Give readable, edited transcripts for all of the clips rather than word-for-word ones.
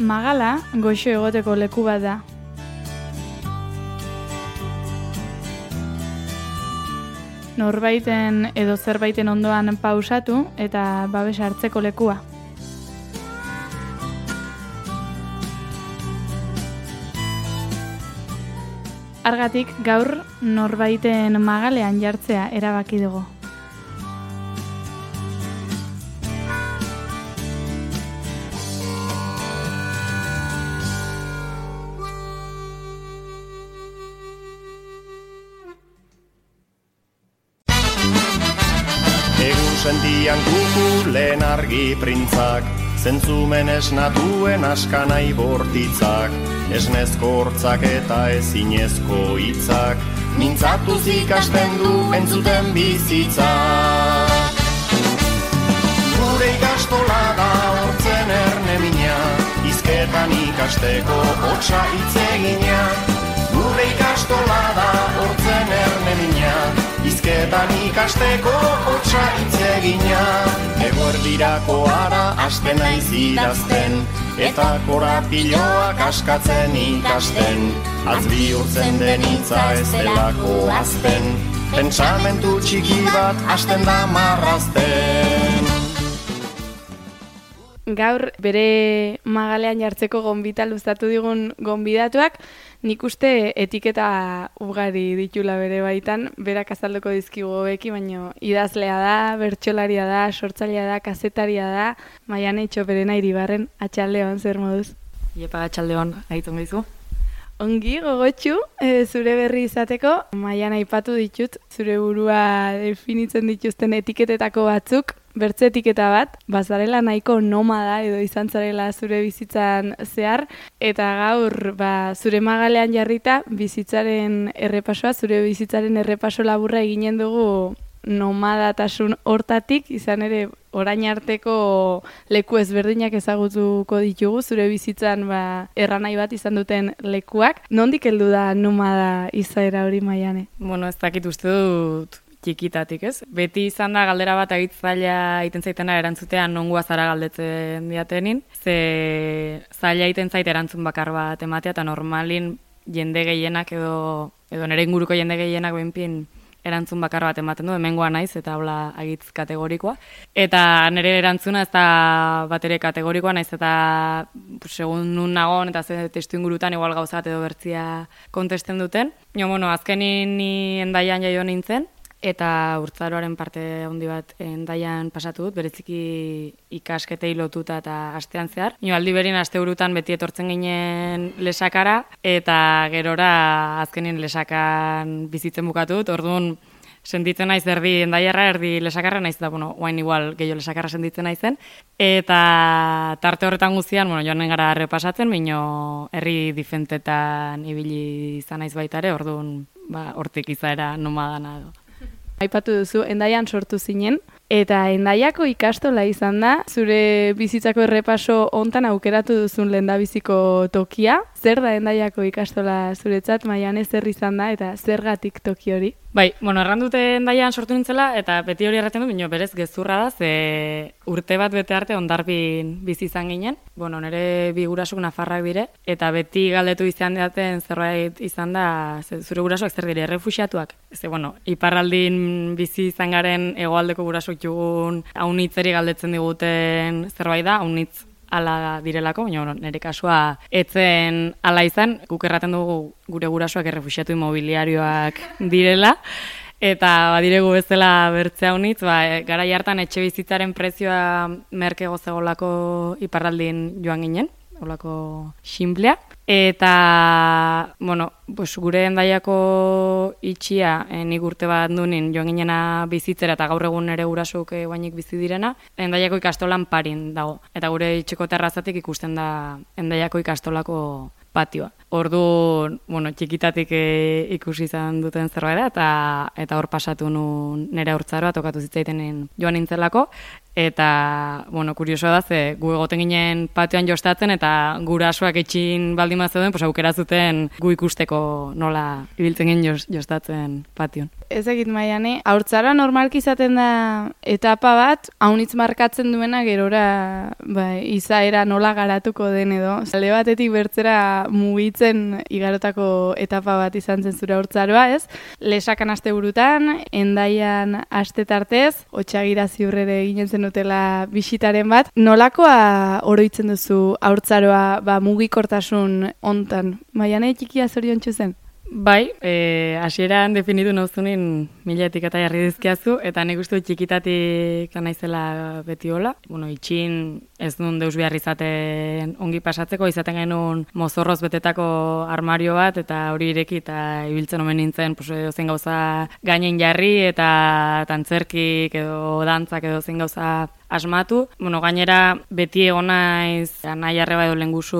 Magala goxo egoteko leku bat da. Norbaiten edo zerbaiten ondoan pausatu eta babes hartzeko lekua. Argatik gaur norbaiten magalean jartzea erabaki dugu. Sentian kukulen argi printzak, zentzumen esnatuen askanai bortitzak, esnezko hortzak eta ezinezko hitzak, mintzatuz ikasten du entzuten bizitzak. Gure ikastola da hortzen erne mina, hizketan ikasteko hotsa hitzegina. Gure ikastola da hortzen erne mina, hizketan ikasteko hotsa hitzegina. Eguerdirako ara hasten naiz idazten, eta korapiloak askatzen ikasten. Az bihurtzen den hitza ez delako azten, pentsamentu txiki bat hasten da marrazten. Gaur bere magalean jartzeko gonbita luzatu digun gonbidatuak, nik uste etiketa ugari ditula bere baitan, berak azalduko dizkigu hobeki, baina idazlea da, bertsolaria da, sortzailea da, kazetaria da, Maiane Txoperena Iribarren, atxaldeon, zer moduz? Iepa, atxaldeon, aiton gizu. Ongi, gogotxu, zure berri izateko, Maiane aipatu ditut, zure burua definitzen dituzten etiketetako batzuk, bertze etiketa bat, bazarela nahiko nomada edo izan zarela zure bizitzan zehar, eta gaur zure magalean jarrita bizitzaren errepasoa, zure bizitzaren errepaso laburra eginen dugu nomadatasun hortatik, izan ere orain arteko leku ezberdinak ezagutuko ditugu, zure bizitzan erranai bat izan duten lekuak. Nondik heldu da nomada izaera hori, Maiane? Bueno, ez dakit uste dut txikitatik, ez? Beti izan da galdera bat agitzaila egiten zaitena erantzutean nongoa zara galdetzen diatenin, ze zaila egiten zait erantzun bakar bat ematea, eta normalin jende gehienak edo nire inguruko jende gehienak behinpin erantzun bakar bat ematen du, hemengoa naiz eta hola agitz kategorikoa. Eta nire erantzuna ez da bat ere kategorikoa naiz eta segun nun nagon eta ze testu ingurutan igual gauza bat edo bertzia kontesten duten. Bueno, azkenin ni Hendaian jaio nintzen, eta urtzaroaren parte handi bat Hendaian pasatu dut, bereziki ikasketei lotuta eta astean zehar. Aldi berin asteburutan beti etortzen ginen Lesakara, eta gerora azkenin Lesakan bizitzen bukatu dut, orduan sentitzen naiz erdi Hendaiarra, erdi Lesakarra naiz da, oain igual gehiago Lesakarra sentitzen naizen. Eta tarte horretan guztian, joanen gara errepasatzen, baino herri difentetan ibili izan naiz baita ere, orduan hortik izaera nomadana edo. Aipatu duzu, Hendaian sortu zinen, eta Hendaiako ikastola izan da, zure bizitzako errepaso hontan aukeratu duzun lehendabiziko tokia. Zer da Hendaiako ikastola zuretzat, Maiane, zer izan da, eta zergatik toki hori? Bai, errandute Hendaian sortu nintzela, eta beti hori erraten du, baina berez gezurra da, ze urte bat bete arte Hondarribin bizi izan ginen. Nire bi gurasuk nafarrak dire, eta beti galdetu izan daten zerbait izan da, zure gurasuak zer dire, errefuxiatuak. Ze, iparraldin bizi izan garen hegoaldeko gurasuk jugun haunitzeri galdetzen diguten zerbait da, haunitz ala direlako, baina nire kasua etzen ala izan, guk erraten dugu gure gurasoak errefuxiatu imobiliarioak direla, eta badiregu bezala bertzea haunitz, garai hartan etxe bizitzaren prezioa merkego zegolako iparraldin joan ginen, holako xinplea. Eta, gure Hendaiako itxia, nik urte bat dunin joan ginena bizitzera eta gaur egun ere gurasuk guainik bizi direna, Hendaiako ikastolan parin dago. Eta gure itxeko terrazatik ikusten da Hendaiako ikastolako patioa. Ordu, txikitatik ikusi izan duten zerbait da, eta hor pasatu nun nire haurtzaroa tokatu zitzaitenen joan nintzelako, eta, kuriosoa da, ze gu egoten ginen patioan jostatzen, eta gurasoak etxin baldin bat zeuden, aukera zuten gu ikusteko nola ibiltzen ginen jostatzen patioan. Ez egit Maiane, haurtzaroa normalki izaten da etapa bat, haunitz markatzen duena gerora izaera nola garatuko den edo. Alde batetik bertzera mugitzen igarotako etapa bat izan zen zure haurtzaroa, ez? Lesakan asteburutan, Hendaian aste tartez, Otsagira ziurrere eginen zenutela bisitaren bat. Nolakoa oroitzen duzu haurtzaroa mugikortasun hontan? Maiane txikia zoriontsu zen? Bai, hasieran definitu nauzunin 1000 etiketa jarri dizkiazu, eta nik uste txikitatik naizela beti hola. Itxin ez nun deus behar izaten ongi pasatzeko, izaten genuen mozorroz betetako armario bat, eta hori ireki eta ibiltzen omen nintzen, zen gauza gainen jarri, eta tantzerkik edo dantzak edo zen gauza asmatu. Gainera beti egon naiz nahi arreba edo lengusu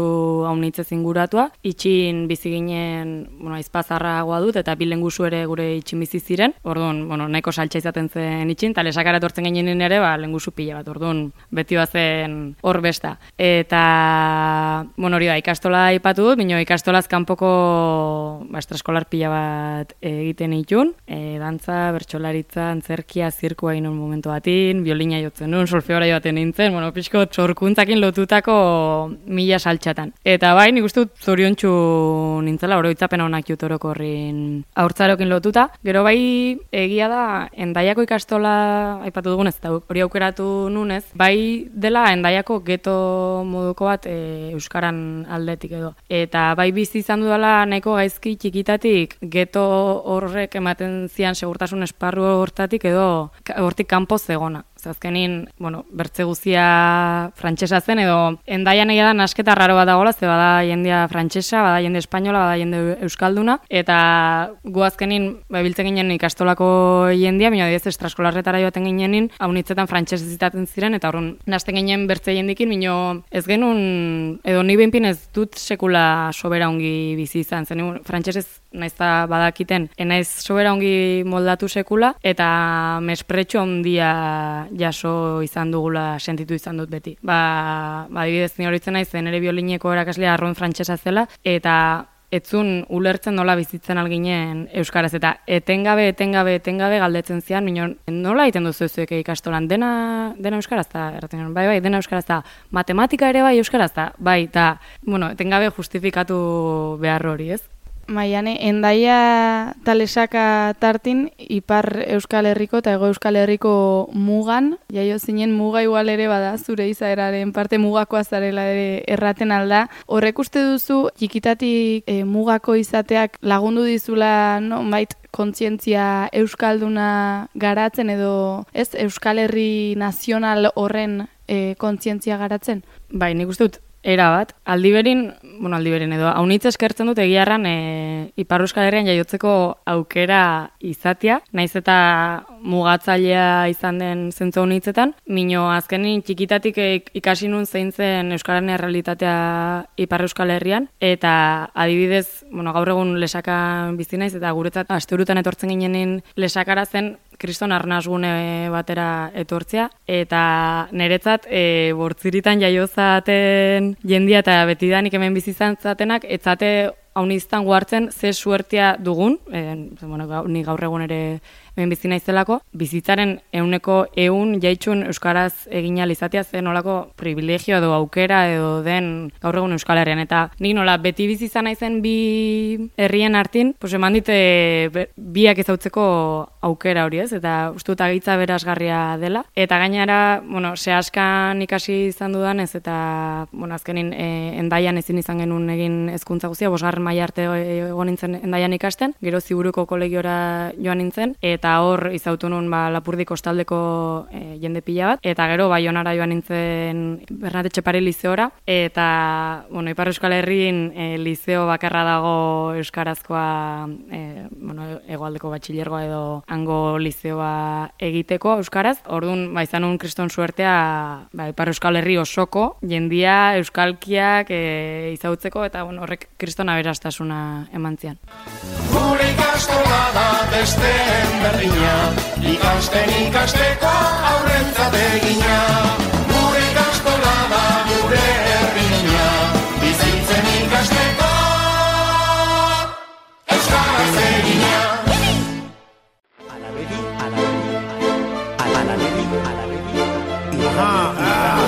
haunitzez inguratua. Itxin bizi ginen, aizpazarragoa dut, eta bi lengusu ere gure itxin bizi ziren. Orduan, nahiko saltza izaten zen itxin, eta lesakara etortzen ginen ere, lengusu pila bat. Orduan, beti bazen hor besta. Eta, hori da, ikastola aipatu dut, bino ikastolaz kanpoko estraskolar pila bat egiten itun. Dantza, bertsolaritza, antzerkia, zirkua inun momentu batin, biolina jotzen nun, solfeora joaten nintzen, pixko txorkuntzakin lotutako 1000 saltxatan. Eta bai, nik uste dut zoriontsu nintzela, oroitzapen honak jutoroko horrin haurtzarokin lotuta. Gero bai, egia da, Hendaiako ikastola, aipatu dugunez, eta hori aukeratu nunez, bai dela Hendaiako geto moduko bat euskaran aldetik edo. Eta bai bizi izan dudala nahiko gaizki txikitatik geto horrek ematen zian segurtasun esparru hortatik edo hortik kanpo zegona. Azkenin, bertze guzia frantsesa zen, edo Hendaian egia da nasketa raro bat dagoela, ze bada jendea frantsesa, bada jende espainola, bada jende euskalduna, eta gu azkenin biltzen ginen ikastolako jendea, baina adibidez estraskolarretara joaten ginenin, haunitzetan frantsesez zitaten ziren, eta horren nasten ginen bertze jendikin, baina ez genuen, edo ni behinpin ez dut sekula sobera ongi bizi izan, zen frantsesez naizta badakiten, enaiz sobera ongi moldatu sekula, eta mespretxo handia jaso izan dugula sentitu izan dut beti. Adibidez ni horitzen naiz ere biolineko erakaslea arroen frantsesa zela, eta etzun ulertzen nola bizitzen alginen euskaraz, eta etengabe galdetzen zian, nola egiten duzu zuek ikastolan, dena euskaraz da, bai, dena euskaraz da, matematika ere bai euskaraz da, bai, eta, etengabe justifikatu behar hori, ez? Maiane, Hendaia eta Lesaka tartin, Ipar Euskal Herriko eta Hego Euskal Herriko mugan, jaio zinen muga igual ere bada, zure izaeraren parte mugakoa zarela ere erraten alda. Horrek uste duzu, txikitatik mugako izateak lagundu dizula, bait, kontzientzia euskalduna garatzen edo, ez, Euskal Herri nazional horren kontzientzia garatzen? Bai, nik uste dut, era bat, aldiberin edo, haunitz eskertzen dut egiarran Ipar Euskal Herrian jaiotzeko aukera izatea, naiz eta mugatzailea izan den zentzu haunitzetan, mino azkenin txikitatik ikasi nun zein zen Euskararen errealitatea Ipar Euskal Herrian, eta adibidez, gaur egun Lesakan bizi naiz, eta guretzat asteburutan etortzen ginenin Lesakara zen kriston arnasgune batera etortzea, eta niretzat bortziritan jaiozaten jendia eta betidanik hemen bizi izan zatenak, etzate hauniztan guartzen ze suertia dugun, ni gaur egun ere hemen bizi naizelako, bizitzaren 100% jaitxun euskaraz egin ahal izatea zen nolako privilegio edo aukera edo den gaur egun Euskal Herrian, eta nik nola beti bizi izan naizen bi herrien artin, eman dite biak ezautzeko aukera hori, ez? Eta uste dut agitza berazgarria dela, eta gainera, sehaskan ikasi izan dudanez, eta azkenin Hendaian ezin izan genuen egin hezkuntza guztia, 5. maila arte egon nintzen Hendaian ikasten, gero Ziburuko kolegiora joan nintzen, eta eta hor izautu nun Lapurdi kostaldeko jende pila bat, eta gero Baionara joan nintzen Bernat Etxepare lizeora, eta Ipar Euskal Herrin lizeo bakarra dago euskarazkoa, hegoaldeko batxilergoa edo hango lizeoa egiteko euskaraz. Orduan, izan nun kriston suertea Ipar Euskal Herri osoko jendia euskalkiak izautzeko, eta horrek kriston aberastasuna eman zian. Gure ikastola da besteen berdina, ikasten ikasteko aurrentzat egina. Gure ikastola da gure herrina, bizitzen ikasteko euskaraz egina.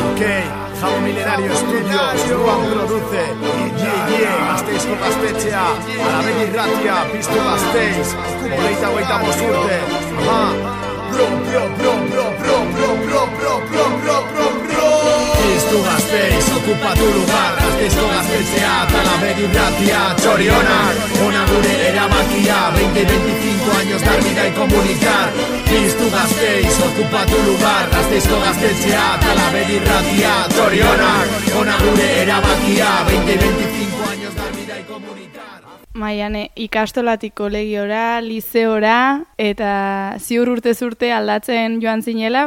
Ok, Jabo Milenario Estudios, Juan produce, Gasteizko gaztetxea, Alabegi irratia, Piztu Gasteiz, Hogeita urte, Piztu Gasteiz, ocupa tu lugar, Gasteizko gaztetxea, Alabegi irratia, txorionak, ona gure erabakia, 20-25 años dar vida y comunicar. Piztu Gasteiz, ocupa tu lugar, Gasteizko gaztetxea, Alabegi irratia, txorionak, ona gure erabakia, 20-25 años dar vida y comunicar. Maiane, ikastolatik kolegiora, lizeora, eta ziur urtez urte aldatzen joan zinela,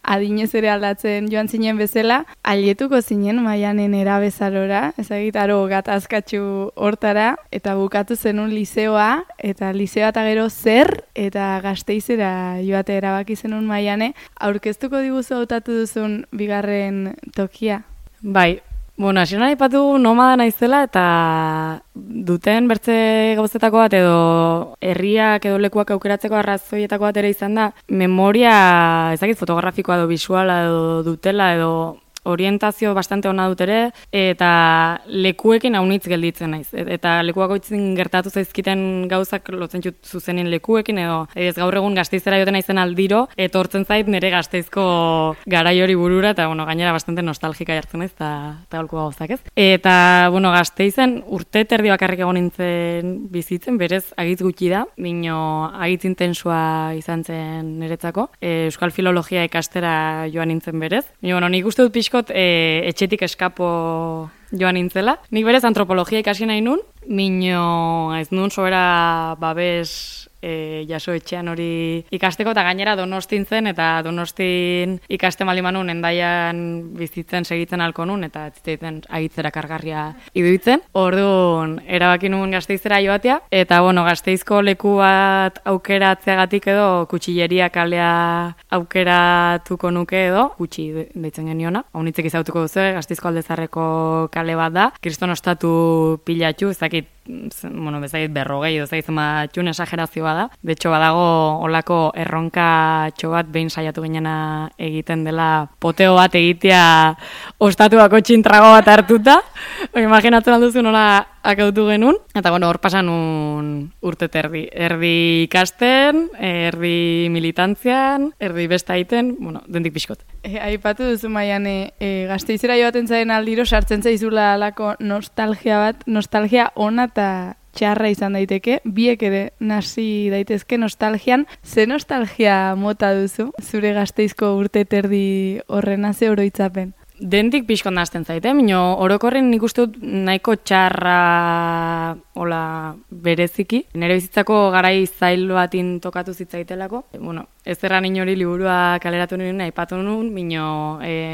adinez ere aldatzen joan zinen bezala, ailietuko zinen Maianen erabezarora, ezagitaro gatazkatxu hortara, eta bukatu zenun lizeoa, eta lizeoa eta gero zer, eta Gasteizera joate erabaki zenun Maiane, aurkeztuko diguzu hautatu duzun bigarren tokia? Bai. Hasieran aipatu nomada naizela eta duten bertze gauzetako bat edo herriak edo lekuak aukeratzeko arrazoietako bat ere izan da, memoria ezagit fotografikoa edo visuala edo dutela edo orientazio bastante ona dut ere, eta lekuekin haunitz gelditzen naiz. Eta lekuak oitzin gertatu zaizkiten gauzak lotzen jut zuzenin lekuekin, edo ez gaur egun Gasteizera joten naizen aldiro, etortzen zait nire Gasteizko garai hori burura, eta gainera bastante nostalgika jartzen naiz, eta holko gauzak ez. Eta Gasteizen urte terdi bakarrik egon nintzen bizitzen, berez agitz gutxi da, bino agitz intensua izan zen niretzako. Euskal filologia ikastera joan nintzen berez. Nik uste dut pixko etxetik eskapo joan nintzela. Nik berez antropologia ikasi nahi nun, mino ez nun sobera babes jaso etxean hori ikasteko, eta gainera Donostin zen, eta Donostin ikaste malimanun endaian bizitzen segitzen alko nun, eta ziteiten agitzera kargarria iduitzen. Orduan, erabaki nun Gasteizera joatea, eta Gasteizko leku bat aukeratzeagatik edo kutxilleria kalea aukeratuko nuke edo, kutxi deitzen geniona, haunitzek izautuko duzu, Gasteizko Aldezarreko kale bat da, kriston ostatu pilatxu, ezakit berrogei edo ezagit matxun esagerazioa da. De hecho, badago olako erronka bat behin saiatu ginena egiten dela poteo bat egitea ostatuako txintrago bat hartuta. Imaginatzen alduzu nola akautu genuen. Eta hor pasan urte terdi. Erdi ikasten, erdi militantzian, erdi besta egiten, dendik pixkot. Aipatu duzu Maiane, Gasteizera joaten zaren aldiro sartzen zaizula alako nostalgia bat, nostalgia ona eta txarra izan daiteke, biek ere nasi daitezke nostalgian. Ze nostalgia mota duzu, zure Gasteizko urte terdi horrena ze oroitzapen? Dentik pixkot nazten zaite, orokorren nik uste dut nahiko txarra bereziki. Nire bizitzako garai zail batin tokatu zitzaitelako. Ez erran inori liburua kaleratu nuen, aipatu nuen,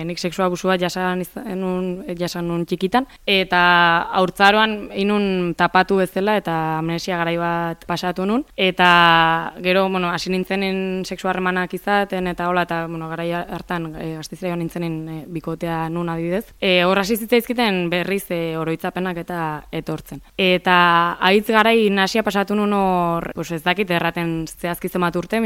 nik seksua abusu bat jasan nun txikitan, eta haurtzaroan inun tapatu bezala eta amnesia garai bat pasatu nun, eta gero, hasi nintzenen seksua harremanak izaten, eta garai hartan Gasteizera joan nintzenen bikotea nun adibidez. Hor hasi zitzaizkiten berriz oroitzapenak eta etortzen. Eta haitz garai nasia pasatu nun hor, ez dakit erraten zehazki zenbat urte,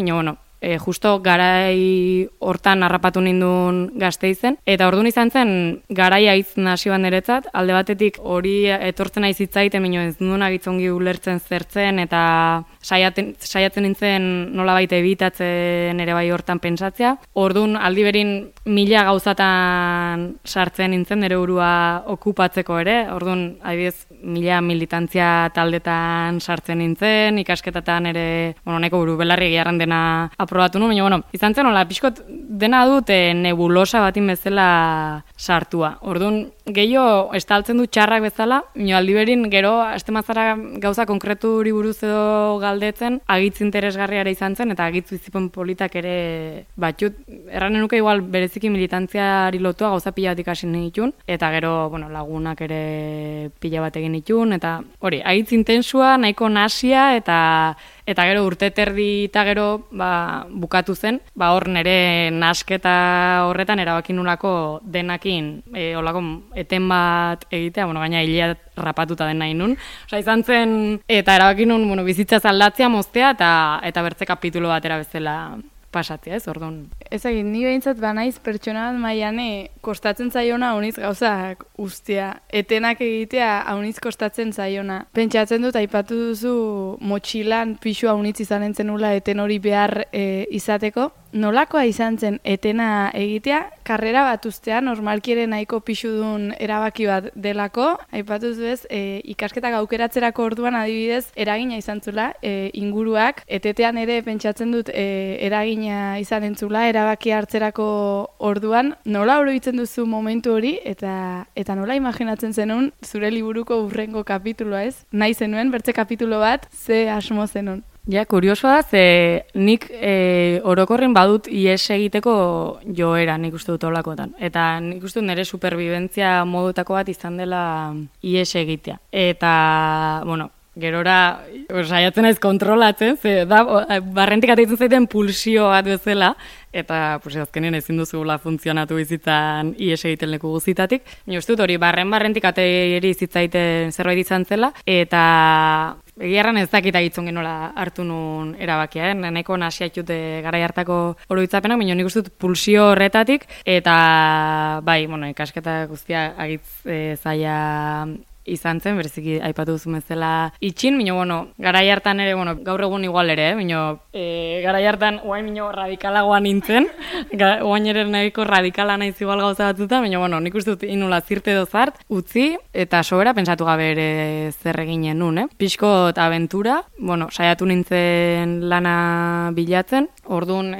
justo garai hortan harrapatu nindun Gasteizen, eta orduan izan zen garaia hitz nasi bat niretzat, alde batetik hori etortzen naiz hitzaiten, baina ez nuen agitzongi ulertzen zertzen, eta saiatzen nintzen nolabait ebitatzen ere bai hortan pentsatzea. Orduan aldi berin 1000 gauzatan sartzen nintzen nire burua okupatzeko ere. Orduan adibidez 1000 militantzia taldetan sartzen nintzen, ikasketatan ere, nahiko buru belarri egiarren dena aprobatu nuen, baina izan zen hola pixkot dena dut nebulosa batin bezala sartua. Orduan gehiago estaltzen du txarrak bezala, aldi berin gero astemazara gauza konkreturi buruz edo galdetzen, agitz interesgarriara izan zen, eta agitz bizipen politak ere batxut, erranen nuke igual bereziki militantziari lotua gauza pila bat ikasi nituen, eta gero lagunak ere pila bat egin nituen, eta hori, agitz intensua, nahiko nasia, eta gero urte terdi eta gero bukatu zen, hor nire nasketa horretan erabakin nulako denakin olako eten bat egitea, gaina hilea rapatuta den nahi nun. Osa, izan zen, eta erabakin nun bizitza aldatzea, moztea, eta bertze kapitulo batera bezala pasatzea, ez, orduan. Ez egin, ni behintzat banaiz pertsona bat maiane kostatzen zaiona hauniz gauzak ustea. Etenak egitea hauniz kostatzen zaiona. Pentsatzen dut, aipatu duzu motxilan pixu haunitz izan entzenula eten hori behar izateko. Nolakoa izan zen etena egitea, karrera bat ustea, normalkieren nahiko pixudun erabaki bat delako, aipatu zuez, ikasketak aukeratzerako orduan adibidez, eragina izan zula, inguruak, etetean ere pentsatzen dut eragina izan entzula, erabaki hartzerako orduan, nola oroitzen duzu momentu hori, eta nola imaginatzen zenun, zure liburuko urrengo kapituloa ez? Nahi zenuen, bertze kapitulo bat, ze asmo zenun? Ja, kuriosoa da, ze nik orokorren badut ies egiteko joera nik uste dut olakotan. Eta nik uste dut nire superbibentzia modutako bat izan dela ies egitea. Eta, gerora, saiatzen naiz kontrolatzen, ze da, barrentik ateitzen zaiten pulsio bat bezala, eta azkenean ezin duzula funtzionatu bizitzan ies egiten leku guzitatik. Ni uste dut hori, barrentik ateiri zitzaiten zerbait izan zela, eta egiarran ez dakita gitzongen nola hartu nun erabakia, nahiko nasiatxute garai hartako oroitzapenak, baina nik uste dut pulsio horretatik, eta bai, ikasketa guztia agitz zaila izan zen, bereziki aipatu duzu bezala itxin, baina, garai hartan ere, gaur egun igual ere, baina, garai hartan oain radikalagoa nintzen, oain ere nahiko radikala naiz igual gauza batzuta, baina, nik uste dut inula zirte dozart, utzi, eta sobera pensatu gabe ere zer eginen nun, Pixkot abentura, saiatu nintzen lana bilatzen, orduan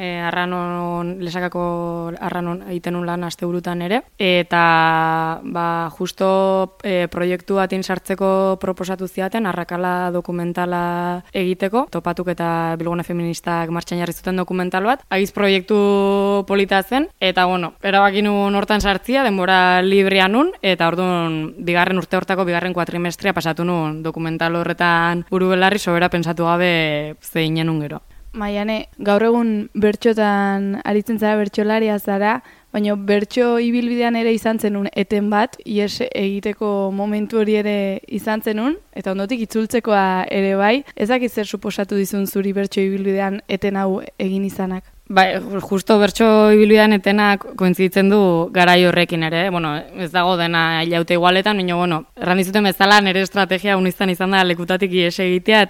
lesakako arranon egiten nun lan asteburutan ere, eta justo proiektu batin sartzeko proposatu ziaten, arrakala dokumentala egiteko, topatuk eta Bilgune Feministak martxan jarri zuten dokumental bat, agiz proiektu polita zen, eta erabaki nun hortan sartzia, denbora librea nun, eta orduan bigarren urte hortako, bigarren kuatrimestria pasatu nun dokumental horretan buru belarri sobera pensatu gabe zeinen nun gero. Maiane, gaur egun bertxotan aritzen zara, bertxolaria zara, baina bertso ibilbidean ere izan zenun eten bat, ies egiteko momentu hori ere izan zenun, eta ondotik itzultzekoa ere bai, ezak zer suposatu dizun zuri bertso ibilbidean eten hau egin izanak? Bai, justo bertso ibilbidean etenak kointziditzen du garai horrekin ere, ez dago dena ilaute igualetan, baina, erran dizuten bezala nire estrategia unizan izan da lekutatik ies egitea,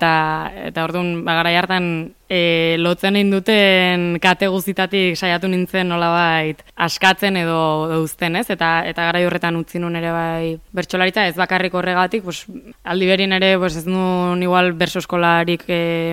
eta orduan, garai hartan lotzen induten kate guztitatik saiatu nintzen nolabait askatzen edo uzten, ez? Eta garai horretan utzi nun ere bai bertsolaritza, ez bakarrik horregatik, aldi berin ere ez nun igual berso eskolarik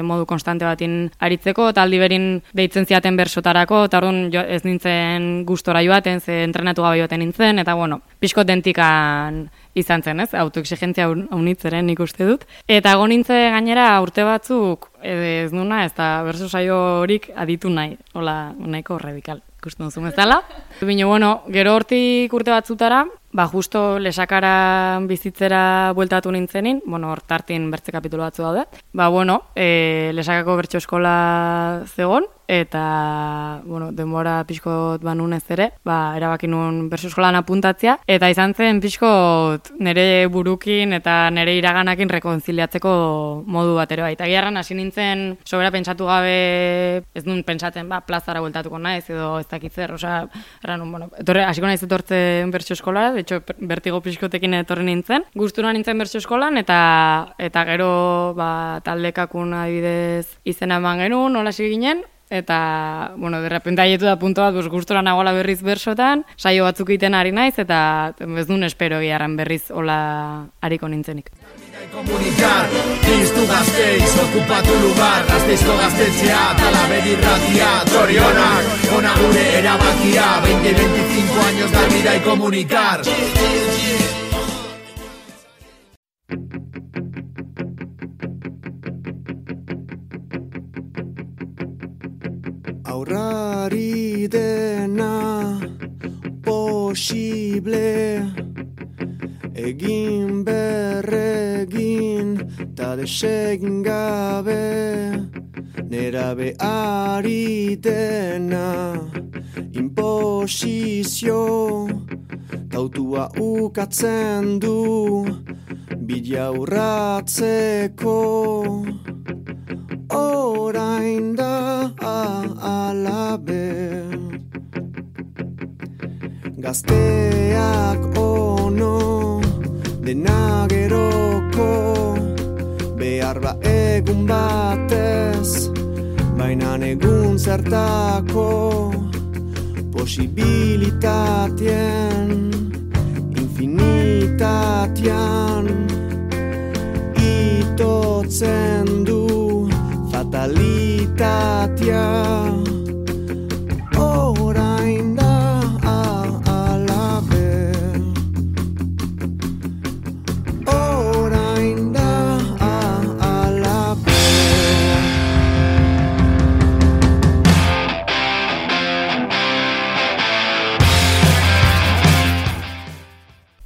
modu konstante batin aritzeko, eta aldi berin deitzen ziaten bersotarako, eta orduan ez nintzen gustora joaten, ze entrenatu gabe joaten nintzen, eta pixko dentikan izan zen, ez? Autoexigentzia haunitzeren nik uste dut. Eta egon nintzen gainera urte batzuk ez nuna, ez da berso saio horik aditu nahi, hola nahiko radikal, ikusten duzu bezala. Baina, gero hortik urte batzutara, justo lesakara bizitzera bueltatu nintzenin, hortartin bertze kapitulo batzu daude. Lesakako bertso eskola zegon, eta, bueno, denbora pixkot banunez ere, erabaki nuen bertso eskolan apuntatzea, eta izan zen pixkot nire burukin eta nire iraganakin rekonziliatzeko modu bat ere bai. Eta giarran hasi nintzen sobera pentsatu gabe, ez nun pentsatzen, plazara bueltatuko naiz edo ez dakitzer, osea, erran, bueno, hasiko naiz etortzen bertso eskolara, de hecho, bertigo pixkotekin etorri nintzen, gustura nintzen bertso eskolan, eta gero, taldekakun adibidez izena eman genuen, nola hasi ginen, eta, bueno, derrepente haietu da punto bat, gustura nagoela berriz bersotan, saio batzuk egiten ari naiz, eta ez duen espero giarran berriz hola hariko nintzenik. Comunicar, piztu Gasteiz, ocupa tu lugar, Gasteizko gaztetxea, Talaber irratia, zorionak, ona gure erabakia, 20-25 años dar vida y comunicar. Aurrari dena posible, egin berregin ta desegin gabe, nerabe ari dena imposizio, tautua ukatzen du bidea urratzeko. Orain da alabe, gazteak ono dena geroko, behar egun batez, baina egun zertako, posibilitatien, infinitatian, itotzen du fatalitatea. Orain da alabe, orain da alabe.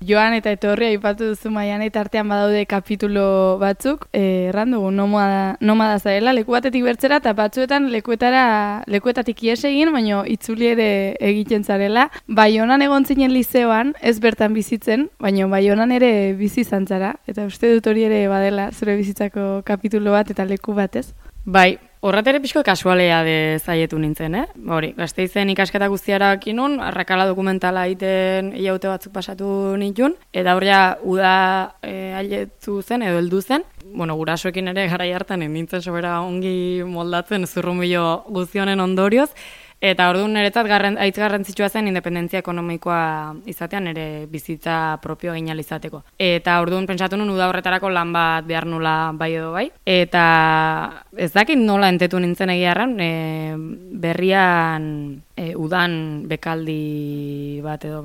Joan eta etorri aipatu duzu Maiane, eta artean badaude kapitulo batzuk, erran dugu nomada zarela, leku batetik bertzera, eta batzuetan lekuetatik ies egin, baina itzuli ere egiten zarela. Baionan egon zinen lizeoan, ez bertan bizitzen, baina Baionan ere bizi izan zara, eta uste dut hori ere badela zure bizitzako kapitulo bat eta leku batez. Bai, horretere pixko kasualea de zaietu nintzen, Hori, Gasteizen ikasketa guztiara kinun, arrakala dokumentala egiten hilaute batzuk pasatu nituen, eta horria uda haietu zen edo heldu zen. Bueno, gurasoekin ere garai hartan nintzen sobera ongi moldatzen zurrunbilo guztionen ondorioz, eta orduan niretzat haitz garrantzitsua zen independentzia ekonomikoa izatean ere bizitza propio egin izateko. Eta orduan pentsatu nun uda horretarako lan bat behar nula bai edo bai. Eta ez dakit nola entetu nintzen egiarran, berrian udan bekaldi bat edo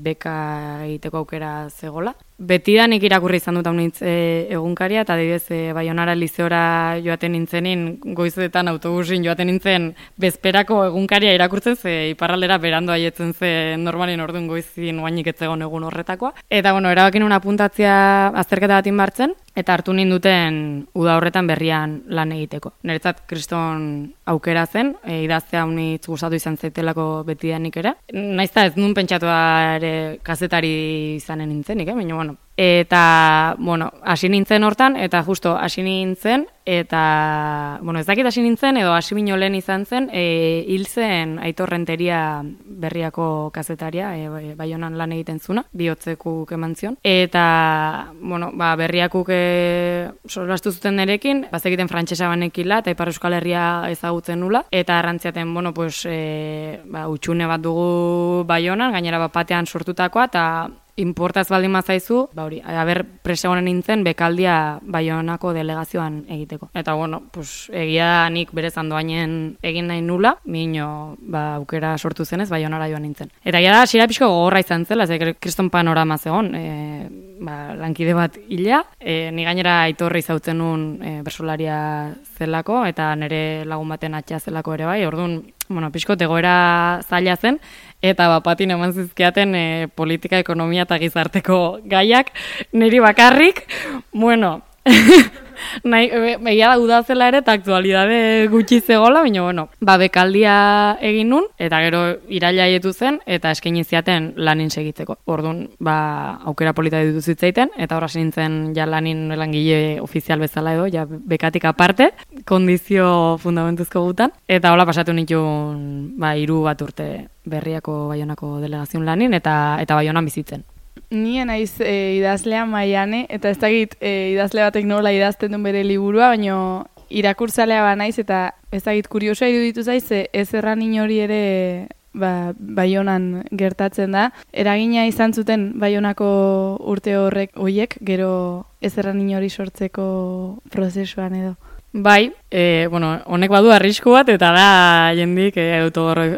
beka egiteko aukera zegola. Betidanik irakurri izan dut haunitz egunkaria, eta adibidez Baionara lizeora joaten nintzenin, goizetan autobusin joaten nintzen bezperako egunkaria irakurtzen, ze iparraldera berandu haietzen ze normalin orduan goizin oainik etzegon egun horretakoa. Eta erabakin un apuntatzea azterketa bat inbartzen, eta hartu ninduten uda horretan berrian lan egiteko. Niretzat kriston aukera zen, idaztea haunitz gustatu izan zaitelako betidanik ere. Naizta ez nun pentsatua ere kazetari izanen nintzenik, baina Eta, hasi nintzen hortan, eta justo hasi nintzen, eta, ez dakit hasi nintzen, edo hasi bino lehen izan zen, hil zen Aitor Renteria berriako kazetaria, Baionan lan egiten zuna, bihotzekuk eman zion. Eta, berriakuk solastu zuten nerekin, bazekiten frantsesa banekila, eta Ipar Euskal Herria ezagutzen nula, eta arrantziaten, utxune bat dugu Baionan, gainera batean sortutakoa, eta importaz baldin mazaizu, presegonen nintzen bekaldia Baionako delegazioan egiteko. Eta egia nik berezan doainen egin nahi nula, mino aukera sortu zenez Baionara joan nintzen. Eta egia da, hasiera pixko gogorra izan zela, kriston panorama zegoen, lankide bat hila, ni gainera Aitorri zautzen nun bersolaria zelako, eta nire lagun baten atxea zelako ere bai, orduan, pixko egoera zaila zen, eta bapatin eman zizkiaten politika, ekonomia eta gizarteko gaiak, niri bakarrik, Egia da udazela ere eta aktualidade gutxi zegola, baina bueno, bekaldia egin nun, eta gero iraila haietu zen, eta eskaini ziaten lanin segitzeko. Orduan, aukera polita ditu zitzaiten, eta horra nintzen ja lanin langile ofizial bezala edo, ja bekatik aparte, kondizio fundamentuzko gutan, eta hola pasatu nituen 3 bat urte Berriako Baionako delegazion lanin, eta Baionan bizitzen. Ni naiz idazlea Maiane, eta ez dakit idazle batek nola idazten duen bere liburua, baina irakurtzalea banaiz, eta ez dakit kuriosoa iruditu zaiz, ez erran inori ere Baionan gertatzen da. Eragina izan zuten Baionako urte horiek, gero ez erran inori sortzeko prozesuan edo. Bai, honek badu arrisku bat, eta da jendik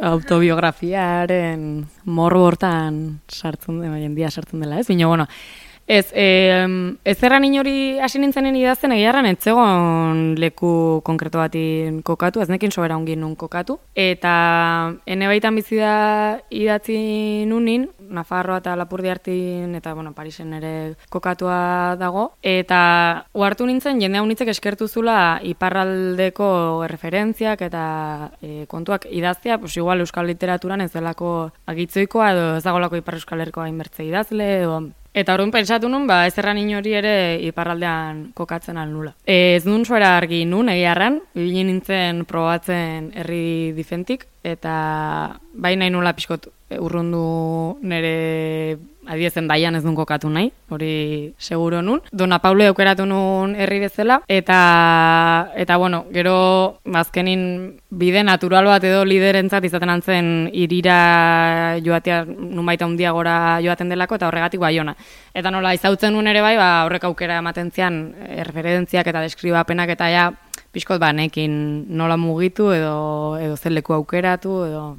autobiografiaren morro hortan sartzen dela, jendia sartzen dela, ez? Baina, ez erran inori hasi nintzenen idazten, egiarran etzegon leku konkreto batin kokatu, ez nekin sobera ongin nun kokatu, eta ene baitan bizi da idatzi nunin, Nafarroa eta Lapurdi hartin, eta Parisen ere kokatua dago, eta uhartu nintzen jende haunitzek eskertu zula iparraldeko referentziak eta kontuak idaztea, igual euskal literaturan ez delako agitzoikoa edo ez dagolako ipar euskal herriko hainbertze idazle, eta orduan pentsatu nun, ez erran inori ere iparraldean kokatzen alnula. Ez nun zuera argi nun, egiarran, ibili nintzen probatzen herri difentik, eta nahi nula pixkot urrundu nire adiezen Baian ez duen kokatu nahi, hori seguro nun. Dona Paule aukeratu nun herri bezala, eta gero azkenin bide natural bat edo liderentzat izaten antzen irira joatea numaita handiagora joaten delako, eta horregatik Baiona. Eta nola izautzen nun ere horrek aukera ematen zian referentziak eta deskribapenak eta ja pixkot nekin nola mugitu edo zeleku aukeratu edo...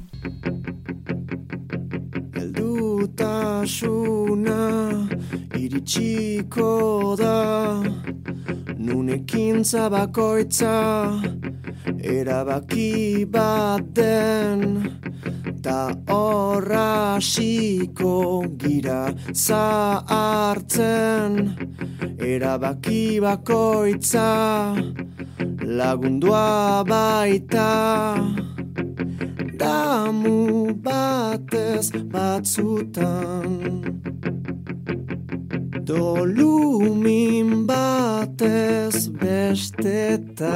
Heldutasuna iritsiko da, nunekintza bakoitza erabaki bat den, ta horra hasiko gira zahartzen, erabaki bakoitza lagundua baita. Damu batez batzutan, dolumin batez bestetan.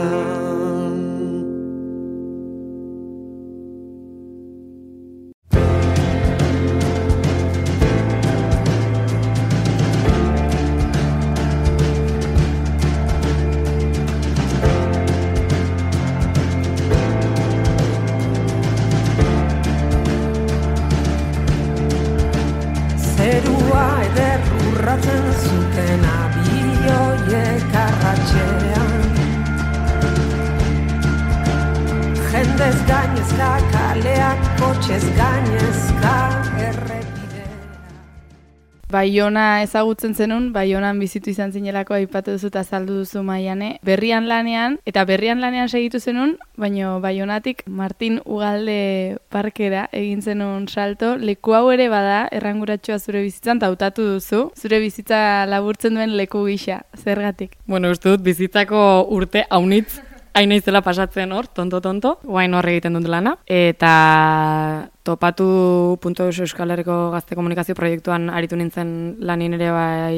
Zuten abioiek arratxean, jendez gainezka kaleak, kotxez gainezka errepidea. Baiona ezagutzen zenun, Baionan bizitu izan zinelako aipatu duzu eta azaldu duzu Maiane. Berrian lanean segitu zenun, baina Baionatik Martin Ugalde parkera egin zenun salto. Leku hau ere bada, erranguratxoa zure bizitzan, eta hautatu duzu. Zure bizitza laburtzen duen leku gisa, zergatik? Uste dut bizitzako urte haunitz, hain naizela pasatzen hor, tonto, guain hor egiten dut lana. Eta topatu.eus Euskal Herriko Gazte Komunikazio proiektuan aritu nintzen lanin ere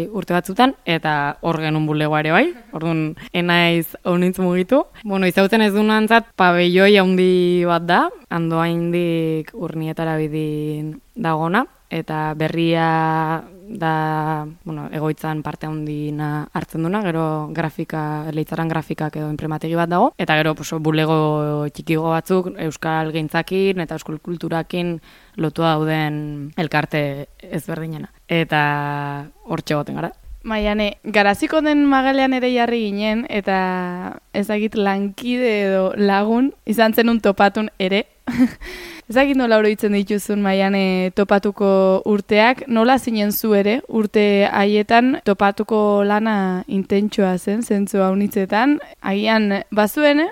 urte batzutan, eta hor genuen bulegoa ere bai, orduan enaiz haunitz mugitu. Izautzen ez duen antzat, pabelloi handi bat da, Andoaindik Urnietara bidin dagona, eta berria da, egoitzan parte handina hartzen duna, gero Leitzaran grafikak edo inprimategi bat dago, eta gero bulego txikigo batzuk euskal gintzakin eta euskal kulturakin lotua dauden elkarte ezberdinena. Eta hortxe goten gara. Maiane, Garaziko den magalean ere jarri ginen, eta ezagit lankide edo lagun izan zenun topatun ere. Ezagit nola oroitzen dituzun Maiane topatuko urteak, nola zinen zu ere urte haietan topatuko lana intentsua zen, zentzu haunitzetan. Agian bazuen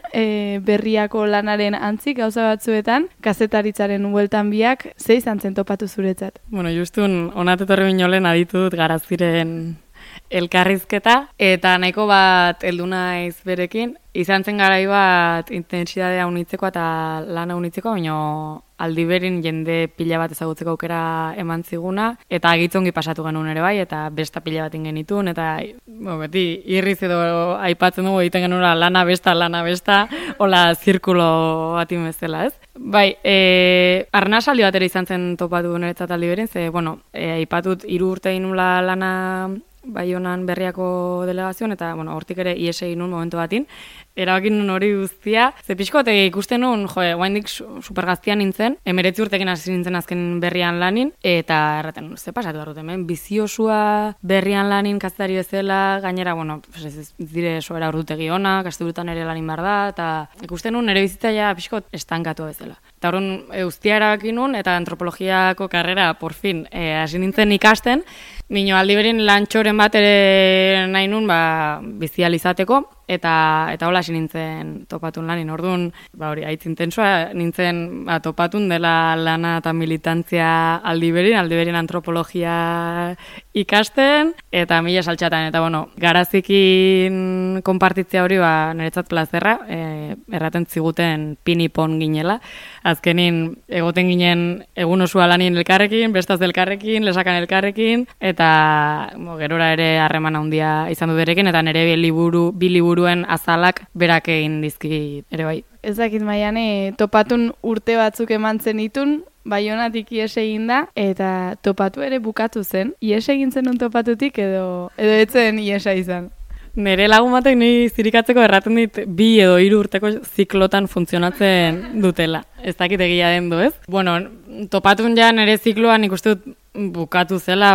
berriako lanaren antzik gauza batzuetan, kazetaritzaren bueltan biak, ze izan zen topatu zuretzat? Justun, onatetorri binolen aditut Garaziren elkarrizketa, eta nahiko bat heldu naiz berekin. Izan zen garai bat intensidadea unitzeko eta lana unitzeko, baina aldi berin jende pila bat ezagutzeko aukera eman ziguna, eta agitzongi pasatu genuen ere bai, eta besta pila bat genitun, eta beti irriz edo aipatzen dugu egiten genuela lana besta, hola zirkulo bat bezala, ez? Bai, arnasaldi bat ere izan zen topatu niretzat aldi berin, ze, aipatut 3 urte inula lana Baionan Berriako delegazioan, eta, hortik ere ies egin nun momentu batin, erabakin nun hori guztia, ze pixkote ikusten nun, guaindik supergaztian nintzen, 19 urtekin hasi nintzen azken Berrian lanin, eta erraten nun, ze pasatu barrut hemen, biziosua Berrian lanin kazetari bezala, gainera, ez dire soera ordutegi ona, kasteburutan ere lanin behar da, eta ikusten nun ere bizitzaia pixkot estankatu bezala. Eta horren guztia erabakin nun, eta antropologiako karrera, por fin, hasi nintzen ikasten, nino aldi berin lantxoren bat ere nahi nun, bizializateko, eta hola hasi nintzen topatun lanin. Orduan, hori, haitz intensua nintzen topatun dela lana eta militantzia aldi berin antropologia ikasten, eta mila saltxatan, eta garazikin konpartitzea hori niretzat plazerra, erraten ziguten pinipon ginela, azkenin egoten ginen egun osua lanin elkarrekin, bestaz elkarrekin, lesakan elkarrekin, eta gerora ere harreman handia izan du berekin, eta nire bi liburuen azalak berak egin dizkit ere bai. Ez dakit Maiane, topatun urte batzuk eman zenitun, Baionatik ies egin da, eta topatu ere bukatu zen. Ies egin zenun topatutik edo etzen iesa izan? Nere lagun batek ni zirikatzeko erraten dit 2 edo 3 urteko ziklotan funtzionatzen dutela. Ez dakit egia den du, ez? Topatun ja nere zikloan ikuste dut bukatu zela,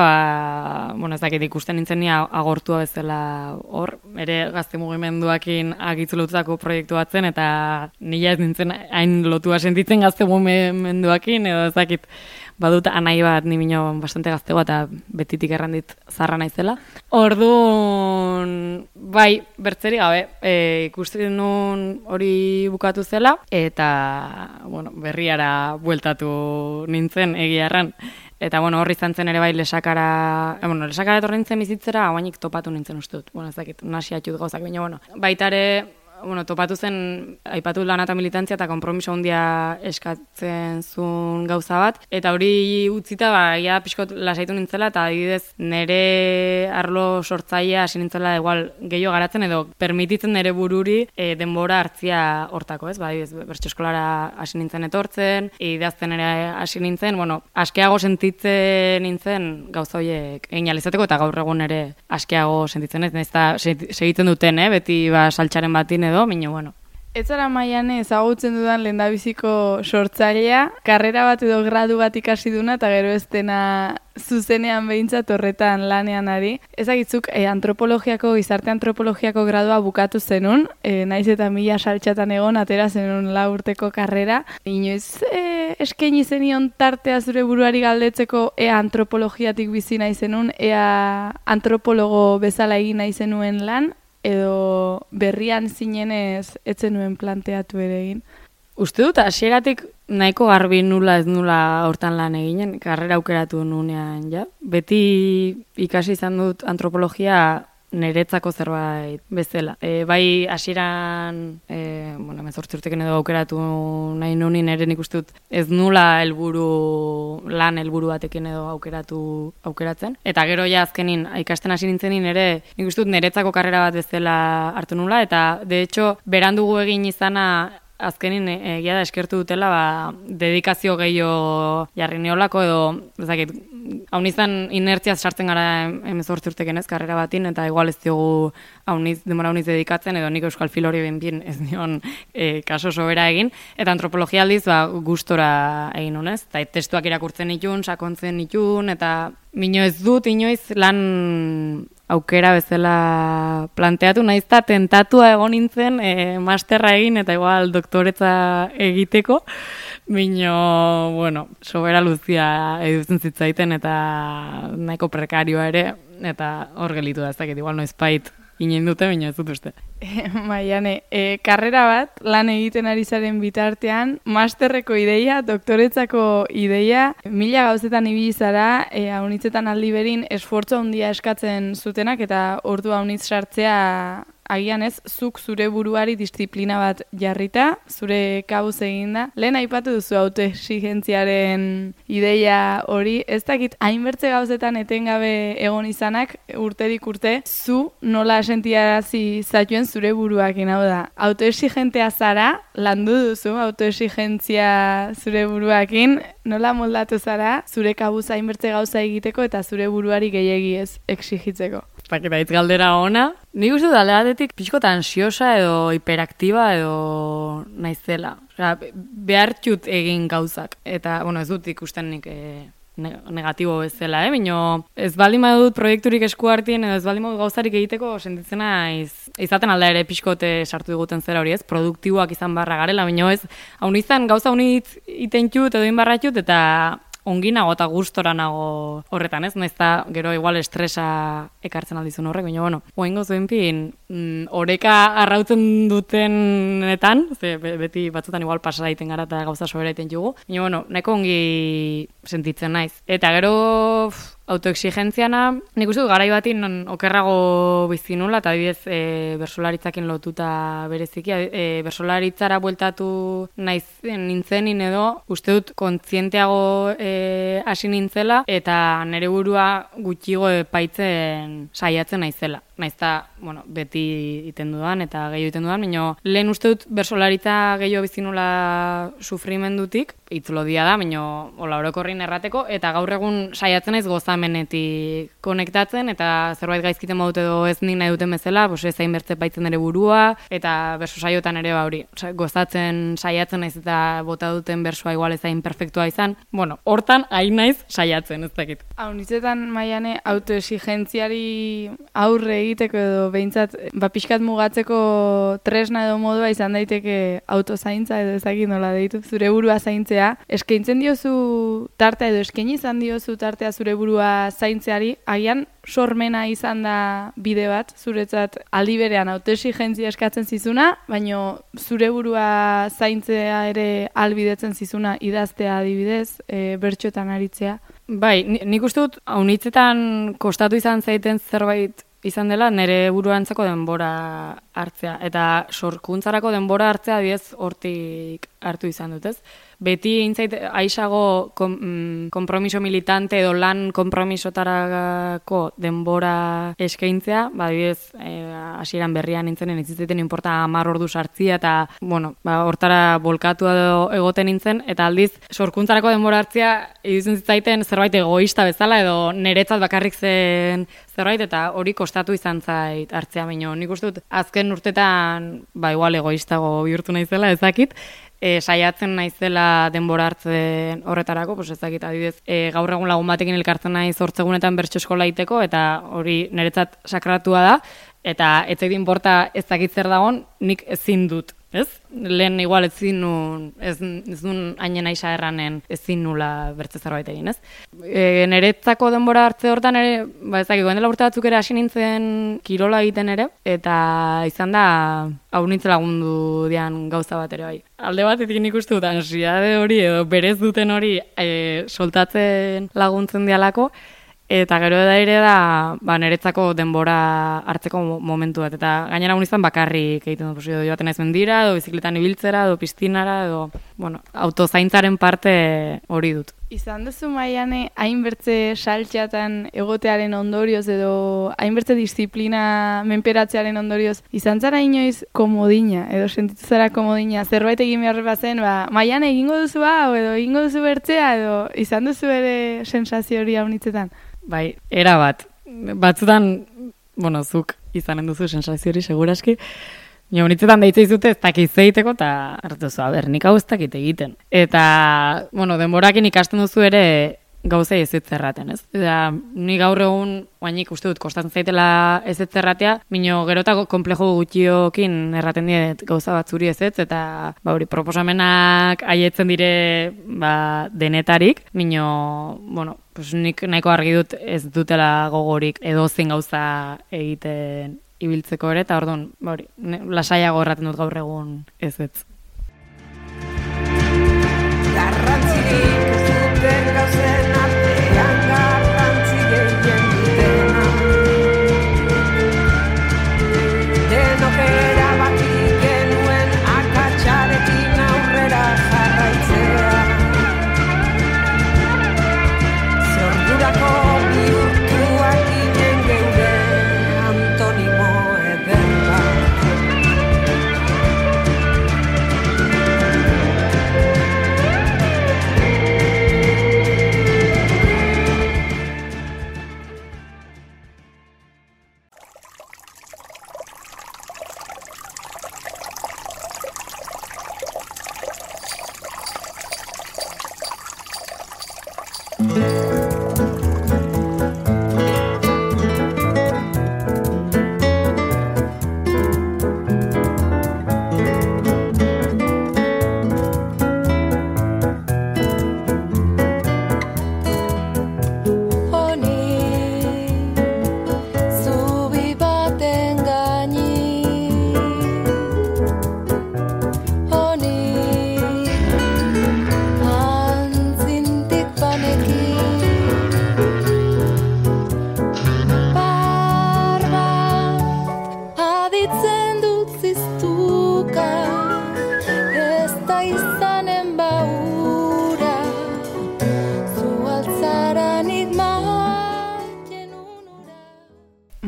ez dakit ikusten nintzen ni agortua bezala hor, ere gazte mugimenduakin agitzulotutako proiektu batzen, eta nila ez nintzen hain lotua sentitzen gazte mugimenduakin, edo ez dakit badut anai bat ni bino bastante gaztegoa eta betitik errandit zarra naizela. Orduan, bai, bertzeri gabe, ikusten nun hori bukatu zela, eta, berriara bueltatu nintzen egiarran. Eta, horri izan zen ere bai lesakara etorri nintzen bizitzera, hauainik topatu nintzen uste dut. Ez dakit, nasi atxut gauzak, baina, baitare, topatu zen, aipatu lana eta militantzia eta konpromiso handia eskatzen zuen gauza bat. Eta hori utzita, ia pixkot lasaitu nintzela, eta adibidez nere arlo sortzailea hasi nintzela igual gehiago garatzen, edo permititzen nere bururi denbora hartzia hortako, ez? Adibidez, bertso eskolara hasi nintzen etortzen, idazten ere hasi nintzen, askeago sentitzen nintzen gauza horiek egin alizateko, eta gaur egun ere askeago sentitzen ez, eta segitzen duten, beti saltxaren batin edo, minio, Ez zara Maiane ezagutzen dudan lehendabiziko sortzailea, karrera bat edo gradu bat ikasi duna, eta gero ez dena zuzenean behintzat horretan lanean ari. Ezagitzuk gizarte antropologiako gradua bukatu zenun, naiz eta 1000 saltxatan egon, atera zenun 4 urteko karrera. Inoiz eskaini zenion tartea zure buruari galdetzeko ea antropologiatik bizi nahi zenun, ea antropologo bezala egin nahi zenuen lan, edo berrian zinenez etzen nuen planteatu ere egin? Uste dut, hasieratik nahiko garbi nula ez nula hortan lan eginen, karrera aukeratu nunean, ja. Beti ikasi izan dut antropologia niretzako zerbait bezala. Bai hasieran, 18 urtekin edo aukeratu nahi nunin ere nik uste dut ez nula helburu batekin edo aukeratzen. Eta gero ja azkenin ikasten hasi nintzenin ere nik uste dut niretzako karrera bat bezala hartu nula, eta de hecho berandugu egin izana azkenin egia da eskertu dutela, dedikazio gehiago jarri neolako edo, ezakit, hau nizan inertziaz sartzen gara 18 urteken ez, karrera batin, eta igual ez diogu denbora hauniz dedikatzen, edo nik euskal fil hori bien ez dion kaso sobera egin, eta antropologia aldiz gustora egin honez, eta testuak irakurtzen nitun, sakontzen nitun, eta mino ez dut inoiz lan aukera bezala planteatu, naizta tentatua egon nintzen masterra egin eta igual doktoretza egiteko, mino, sobera luzia edutzen zitzaiten eta nahiko prekarioa ere, eta hor gelitu da, ez dakit, igual noizpait ginen dute, mino ez dut uste. Maiane, karrera bat, lan egiten ari zaren bitartean, masterreko ideia, doktoretzako ideia, 1000 gauzetan ibili zara, haunitzetan aldi berin esfortzu handia eskatzen zutenak, eta ordu haunitz sartzea agian ez, zuk zure buruari disiplina bat jarrita, zure kabuz eginda. Lehen aipatu duzu autoexigentziaren ideia hori, ez dakit hainbertze gauzetan etengabe egon izanak, urterik urte, zu nola sentiarazi zatuen zure buruakin, hau da. Autoexigentea zara, landu duzu autoexigentzia zure buruakin, nola moldatu zara, zure kabuz hainbertze gauza egiteko eta zure buruari gehiegi ez exigitzeko. Eta hitz galdera ona. Nik uste dut aldeatetik pixkota ansiosa edo hiperaktiba edo naizela. Osea, behartut egin gauzak. Eta, ez dut ikusten nik negatibo bezala, Bino, ez baldin badut proiekturik esku hartien edo ez baldin badut gauzarik egiteko sentitzen naiz. Izaten alda ere pixkote sartu diguten zera hori, ez? Produktiboak izan barra garela, bino ez. Haun izan gauza unitz itentjut edo inbarratjut eta ongi nago eta gustora nago horretan, ez? Naizta gero igual estresa ekartzen aldizun horrek, baina, oaingo zuenpin, oreka arrautzen dutenetan, beti batzutan igual pasara egiten gara eta gauza sobera egiten jugu, baina, nahiko ongi sentitzen naiz. Eta gero autoexigentziana, nik uste dut garai batin okerrago bizi nula, eta adibidez bersolaritzakin lotuta bereziki, bersolaritzara bueltatu nintzenin edo, uste dut kontzienteago hasi nintzela, eta nire burua gutxigo epaitzen saiatzen naizela. Naizta, beti iten dudan eta gehiago iten dudan, baina lehen uste dut bersolaritza gehiago bizi nula sufrimendutik, itzlodia da, baina orokorrin errateko, eta gaur egun saiatzen naiz gozamenetik konektatzen, eta zerbait gaizkiten badut edo ez nik nahi duten bezala, ez hainbertze baitzen ere burua, eta berso saiotan ere hori, gozatzen saiatzen naiz eta bota duten bersoa igual ez hain perfektua izan, hortan hain naiz saiatzen, ez dakit. Haunitzetan, Maiane, autoexigentziari aurre egiteko edo behintzat, pixkat mugatzeko tresna edo modua izan daiteke autozaintza edo ezakit nola deitu, zure burua zaintzea. Eskaintzen diozu tartea edo eskaini izan diozu tartea zure burua zaintzeari, agian sormena izan da bide bat, zuretzat aldi berean autoexigentzia eskatzen zizuna, baina zure burua zaintzea ere albidetzen zizuna idaztea adibidez, bertxotan aritzea. Bai, nik uste dut, haunitzetan kostatu izan zaiten zerbait izan dela, nire buruantzako denbora hartzea. Eta sorkuntzarako denbora hartzea diez hortik hartu izan dut, ez? Beti intzait aisago kompromiso militante edo lan kompromisotarako denbora eskaintzea, adibidez, hasieran berrian nintzenen itzitzaiten inporta 10 ordu sartzia eta, hortara bolkatu egoten nintzen, eta aldiz, sorkuntzarako denbora hartzia iruditzen zitzaiten zerbait egoista bezala edo niretzat bakarrik zen zerbait, eta hori kostatu izan zait hartzea, baino nik uste dut azken urtetan, igual egoistago bihurtu naizela, ezakit, saiatzen naizela denbora hartzen horretarako, ezakit, adibidez, gaur egun lagun batekin elkartzen naiz 8 egunetan bertso eskola egiteko, eta hori niretzat sakratua da, eta ez zait inporta ez dakit zer dagon, nik ezin dut, ez? Lehen igual ezin nun hainen aixa erranen ezin nula bertze zerbait egin, ez? Niretzako denbora hartze hortan ere, ezakit, goen dela urte batzuk ere hasi nintzen kirola egiten ere, eta izan da hau nintzen lagundu dian gauza bat ere bai. Alde batetik nik uste dut ansiade hori edo berez duten hori soltatzen laguntzen dialako, eta gero da ere da niretzako denbora hartzeko momentu bat. Eta gainera izan bakarrik egiten dut, joaten naiz mendira, edo bizikletan ibiltzera, edo piztinara, edo autozaintzaren parte hori dut. Izan duzu, Maiane, hainbertze saltxatan egotearen ondorioz edo hainbertze disiplina menperatzearen ondorioz, izan zara inoiz komodina, edo sentitu zara komodina, zerbait egin behar bazen, Maiane egingo duzu hau, edo egingo duzu bertzea, edo izan duzu ere sensazio hori haunitzetan? Bai, era bat. Batzutan, zuk izanen duzu sensazio hori seguraski, honitzetan deitza izute ez dakiz egiteko, eta hartuzu, nik hau ez dakit egiten. Eta, denborakin ikasten duzu ere gauzei ez erraten, ez? Eta ni gaur egun, oainik uste dut, kostatzen zaitela ez erratea, mino gerotako komplejo gutxiokin erraten diet gauza bat zuri ez, eta proposamenak haietzen dire denetarik, mino, nik nahiko argi dut ez dutela gogorik edozein gauza egiten ibiltzeko ere, eta orduan, lasaiago erraten dut gaur egun ez. Garrantzirik ez duten gauzen artean garrantzi gehien dutena. Denok erabaki genuen akatsarekin aurrera jarraitzea. Zordurako bihurtuak ginen geure antonimo eder bat.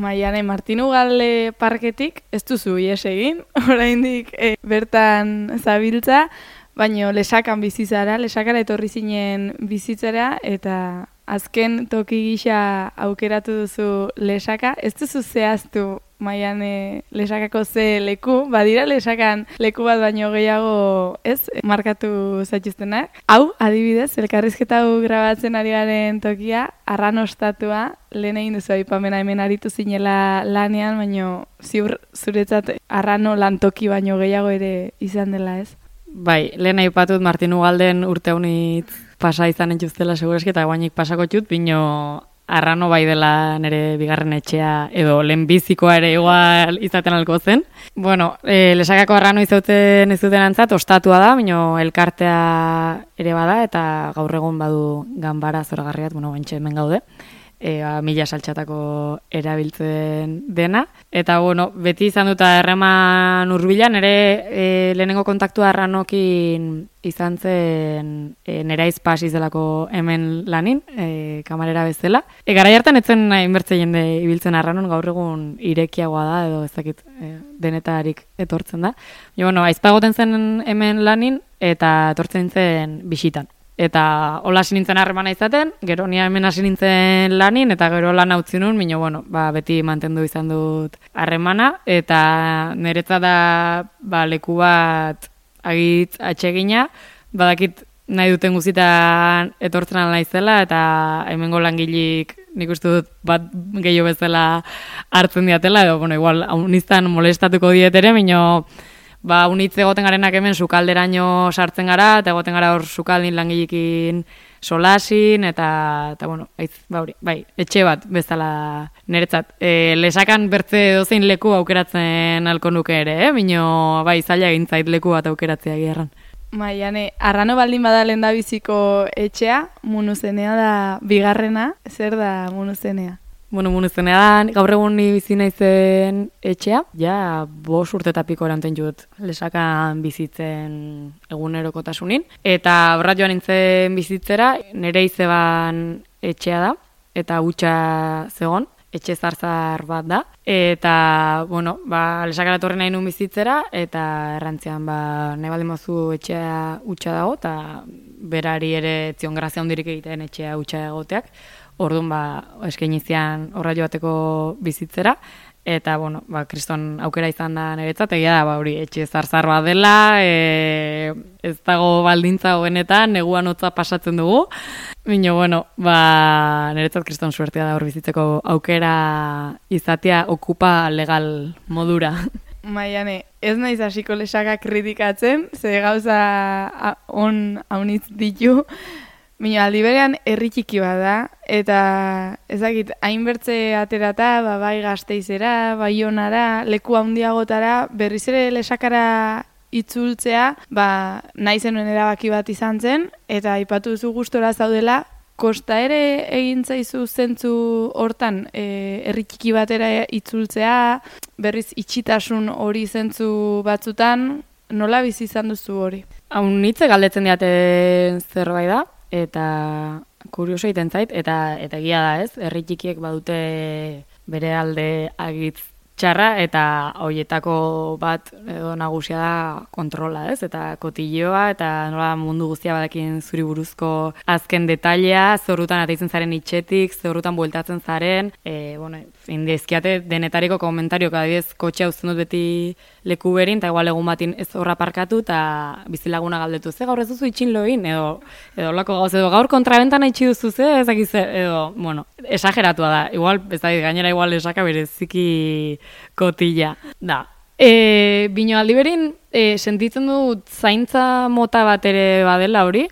Maiane, Martin Ugalde parketik ez duzu ihes egin, oraindik bertan zabiltza, baino lesakan bizi zara, lesakara etorri zinen bizitzera, eta azken toki gisa aukeratu duzu lesaka. Ez duzu zehaztu, Maiane, lesakako ze leku, badira lesakan leku bat baino gehiago ez markatu zaituztenak. Hau, adibidez, elkarrizketa hau grabatzen ari garen tokia, arranostatua, lehen egin duzu aipamena hemen aritu zinela lanean, baino ziur zuretzat arrano lantoki baino gehiago ere izan dela, ez? Bai, lehen aipatut Martin Ugalden urte honitz pasa izan entuztela segureski, eta guainik pasako txut, bino arrano bai dela nire bigarren etxea, edo lehenbizikoa ere igual izaten alko zen. Bueno, lesakako arrano izauten ez duten antzat, ostatua da, bino elkartea ere bada, eta gaur egun badu ganbara zoragarriat, bentxe hemen gaude. Mila saltxatako erabiltzen dena. Eta, beti izan duta erreman urbilan, ere lehenengo kontaktua arranokin izan zen neraiz pasiz delako hemen lanin, kamarera bezala. Garai hartan etzen inbertze jende ibiltzen arranon, gaur egun irekiagoa da, edo ez dakit denetarik etortzen da. Aizpagoten zen hemen lanin, eta etortzen zen bisitan. Eta hola hasi nintzen harremana izaten, gero nia hemen hasi nintzen lanin, eta gero lan utzi nun, beti mantendu izan dut harremana, eta niretzat da leku bat agitz atsegina, badakit nahi duten guztietan etortzen ala naizela, eta hemengo langilik nik uste dut bat gehiago bezala hartzen diatela, edo igual uniztan molestatuko dietere, unitz egoten garenak hemen sukalderaino sartzen gara, eta egoten gara hor sukaldin langilekin solasin, eta etxe bat bezala niretzat. Lesakan bertze dozein leku aukeratzen alko nuke ere, zaila egin zait leku bat aukeratzea gerran. Maiane, arrano baldin bada lehendabiziko etxea, Munuzenea da bigarrena, zer da Munuzenea? Munuzenea da, gaur egun ni bizi naizen etxea, 5 urte eta piko eranten jut lesakan bizitzen egunerokotasunin. Eta horrat joan nintzen bizitzera, nire izeban etxea da, eta hutsa zegon, etxe zarzar bat da. Eta, lesakara torri nahi nun bizitzera, eta errantzian, nahi baldin mozu etxea hutsa dago, eta berari ere zion grazia hundirik egiten etxea hutsa egoteak. Orduan, eskaini zian horra joateko bizitzera, eta, kriston aukera izan da niretzat, egia da, etxe zarzar bat dela, ez dago baldintza hobenetan, neguan hotza pasatzen dugu, niretzat kriston suertea da hor bizitzeko aukera izatea okupa legal modura. Maiane, ez naiz hasiko lesaka kritikatzen, ze gauza on haunitz ditu, Bino, aldi berean herri txiki bat da, eta ezakit, hainbertze aterata, bai Gasteizera, Baionara, leku handiagotara, berriz ere Lesakara itzultzea, nahi zenuen erabaki bat izan zen, eta aipatu duzu gustora zaudela, kosta ere egin zaizu zentzu hortan, herri txiki batera itzultzea, berriz itxitasun hori zentzu batzutan, nola bizi izan duzu hori? Haun hitze galdetzen diate zerbait da, eta kurioso egiten zait, eta egia da ez, herri txikiek badute bere alde agitz txarra, eta hoietako bat edo nagusia da kontrola, ez? Eta kotilloa, eta nola mundu guztia badakin zuri buruzko azken detailea, zorrutan ateitzen zaren itxetik, zorrutan bueltatzen zaren, indizkiate denetariko komentarioak, adibidez, kotxea uzten dut beti leku berin, eta igual egun batin ez horra parkatu, eta bizilaguna galdetu, ze gaur ez duzu itxin loin, edo lako gauz, edo gaur kontrabentan itxi duzu, ze, ezakiz, edo, esageratua da, igual, ez da, gainera igual esaka bereziki kotilla, da. Bino aldi berin, sentitzen dut zaintza mota bat ere badela hori,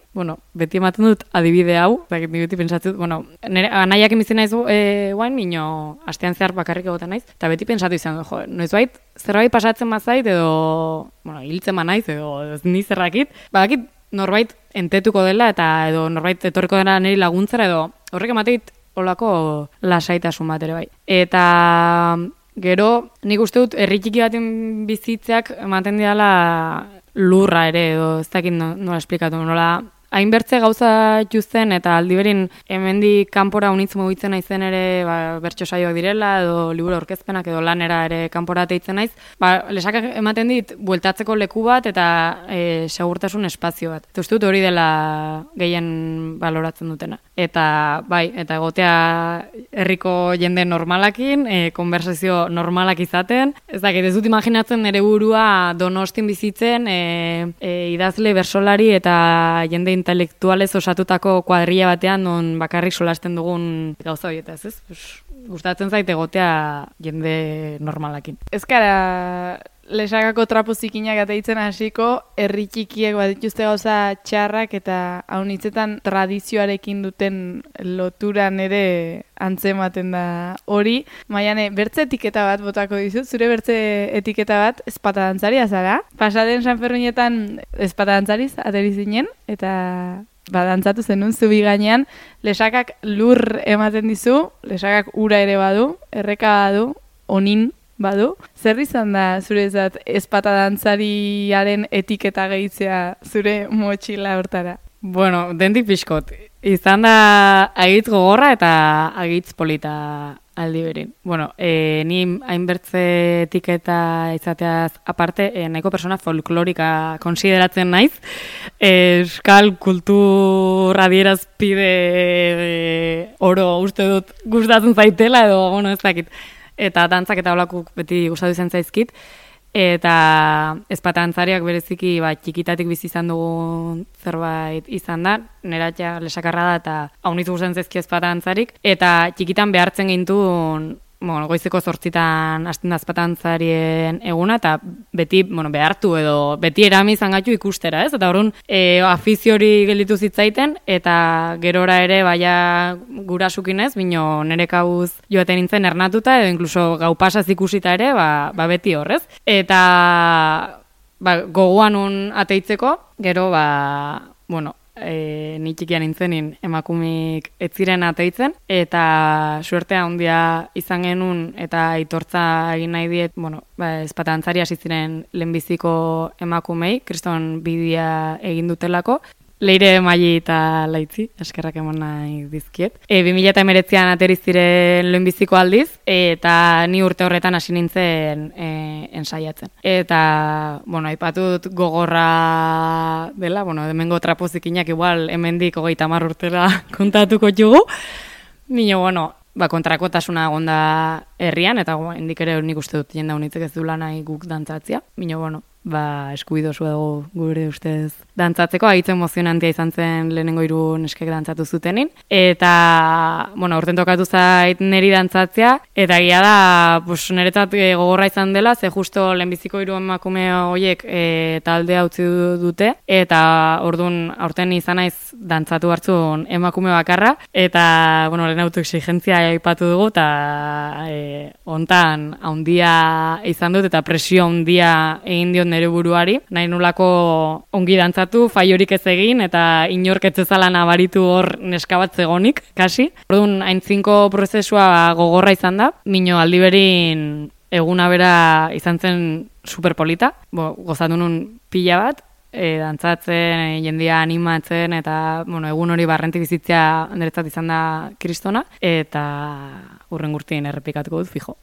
beti ematen dut adibide hau, beti pensatzen dut, nire anaiak emizen naiz guain, bino astean zehar bakarrik egoten naiz, eta beti pentsatu izan dut, noizbait, zerbait pasatzen mazait, edo, hiltzen ma naiz, edo ni zerrakit, badakit norbait entetuko dela, eta edo norbait etorriko dela niri laguntzera, edo horrek emateit olako lasaitasun bat ere bai. Eta gero, nik uste dut, herri txiki baten bizitzeak ematen diala lurra ere, edo ez dakit nola esplikatu, nola hainbertze gauza juzen, eta aldiberin hemendik kanpora unitz mugitzen naizen ere bertso saioak direla, edo liburu aurkezpenak, edo lanera ere kanpora teitzen naiz, Lesakak ematen dit, bueltatzeko leku bat, eta segurtasun espazio bat. Eta uste dut hori dela gehien baloratzen dutena. Eta eta egotea herriko jende normalakin, konversazio normalak izaten, ez dakit, ez dut imaginatzen nire burua Donostin bizitzen, idazle, bersolari eta jende intelektualez osatutako kuadrilla batean non bakarrik solasten dugun gauza horietaz, ez? Gustatzen zait egotea jende normalakin. Ez gara Lesakako trapu zikinak ateitzen hasiko, herri txikiek badituzte gauza txarrak eta haunitzetan tradizioarekin duten loturan ere antzematen da hori. Maiane, bertze etiketa bat botako dizut, zure bertze etiketa bat ezpatadantzari azara. Pasaden Sanferminetan ezpatadantzariz ateri zinen, eta dantzatu zenun zubi gainean, Lesakak lur ematen dizu, Lesakak ura ere badu, erreka badu, onin badu. Zer izan da zurezat ezpatadantzariaren etiketa gehitzea zure motxila hortara? Dendik pixkot. Izan da agitz gogorra eta agitz polita aldi berin. Ni hainbertze etiketa izateaz aparte, nahiko persona folklorika konsideratzen naiz. Euskal kultur adierazpide oro uste dut gustatzen zaitela, edo, ez dakit. Eta dantzak eta holakuk beti gustatu izan zaizkit. Eta ezpatantzariak bereziki txikitatik bizi izan dugun zerbait izan da. Neratia Lesakarra da eta haunitz gustatzen zaizki ezpatantzarik. Eta txikitan behartzen gintuen goizeko 8:00 hasten da ezpatantzarien eguna, eta beti behartu edo beti erami izan gaitu ikustera, ez? Eta orduan afizio hori gelditu zitzaiten, eta gerora ere gurasukin ez, bino nire kauz joaten nintzen ernatuta, edo inkluso gau pasaz ikusita ere, beti horrez. Eta gogoan un ateitzeko, gero ni txikian nintzenin emakumik ez ziren ateitzen, eta suertea handia izan genuen eta aitortza egin nahi diet, ezpatantzari hasi ziren lehenbiziko emakumei, kriston bidea egin dutelako. Leire Maili eta Laitzi, eskerrak emon nahi dizkiet. 2019an ateri ziren lehenbiziko aldiz, eta ni urte horretan hasi nintzen ensaiatzen. Eta, aipatut gogorra dela, hemengo trapozikinak igual hemendik 30 urtera kontatuko jugu. Nino, kontrakotasuna egonda herrian, eta hendik ere nik uste dut jende honitzek ez du lanai guk dantzatzia. Mino, eskubidosu dago gure ustez dantzatzeko, haitz emozionantia izan zen lehenengo 3 neskek dantzatu zutenin. Eta, bueno, aurten tokatu zait neri dantzatzea, eta egia da, niretzat gogorra izan dela, ze justo lehenbiziko 3 emakume horiek taldea utzi dute, eta orduan aurten izan naiz dantzatu hartzun emakume bakarra, eta, bueno, lehen autoexigentzia aipatu dugu, eta hontan haundia izan dut, eta presio haundia egin diot nire buruari, nahi nolako ongi dantzatu, faiorik ez egin, eta inork ez ezala nabaritu hor neska bat zegonik, kasi. Orduan, haintzinko prozesua gogorra izan da, mino aldiberin eguna bera izan zen superpolita, gozatu nun pila bat, dantzatzen, jendia animatzen, eta egun hori barrenti bizitzea niretzat izan da kristona, eta hurrengurtien errepikatuko dut, fijo.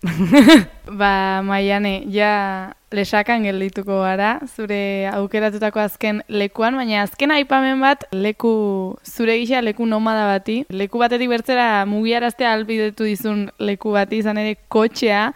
Maiane, ja lesakan geldituko gara, zure aukeratutako azken lekuan, baina azken aipamen bat, zure gisa leku nomada bati, leku batetik bertzera mugiaraztea albidetu dizun leku bati, izan ere kotxea,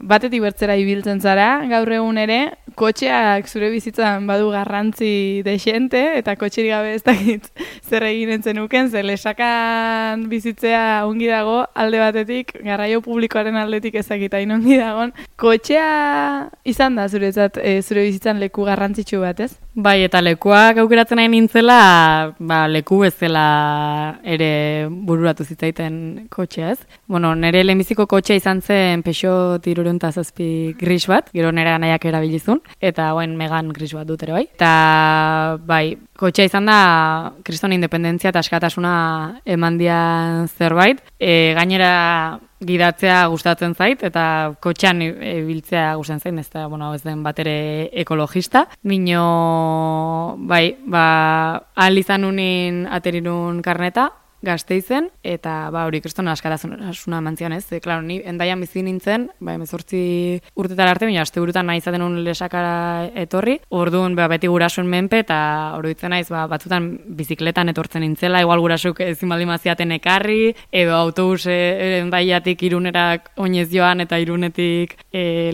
batetik bertzera ibiltzen zara, gaur egun ere, kotxeak zure bizitzan badu garrantzi dexente, eta kotxerik gabe ez dakit zer egin entzenuken, zer lesakan bizitzea ongi dago, alde batetik, garraio publikoaren aldetik ezakita ongi dagon. Kotxea izan da zuretzat, zure bizitzan leku garrantzitsu bat, ez? Bai, eta lekuak aukeratzen nahi nintzela, leku bezala ere bururatu zitzaiten kotxea, ez? Nire lehenbiziko kotxea izan zen Peugeot 307 gris bat, gero nire anaiak erabilizun, eta Megan gris bat dut ere bai. Eta bai, kotxea izan da kriston independentzia eta askatasuna emandian zerbait, gainera gidatzea gustatzen zait, eta kotxean ibiltzea gustatzen zait, ez da, ez den bat ere ekologista. Bai, ahal izan unin aterinun karneta, Gasteizen, eta hori kriston askatasuna mantzian ez. Klaro, ni Hendaian bizi nintzen, 18 urtetara arte, baina asteburutan nahi izaten un lesakara etorri. Orduan beti gurasoen menpe, eta oroitzen naiz batzutan bizikletan etortzen nintzela, igual gurasok ezin baldin maziaten ekarri, edo autobus Hendaiatik Irunerak oinez joan, eta Irunetik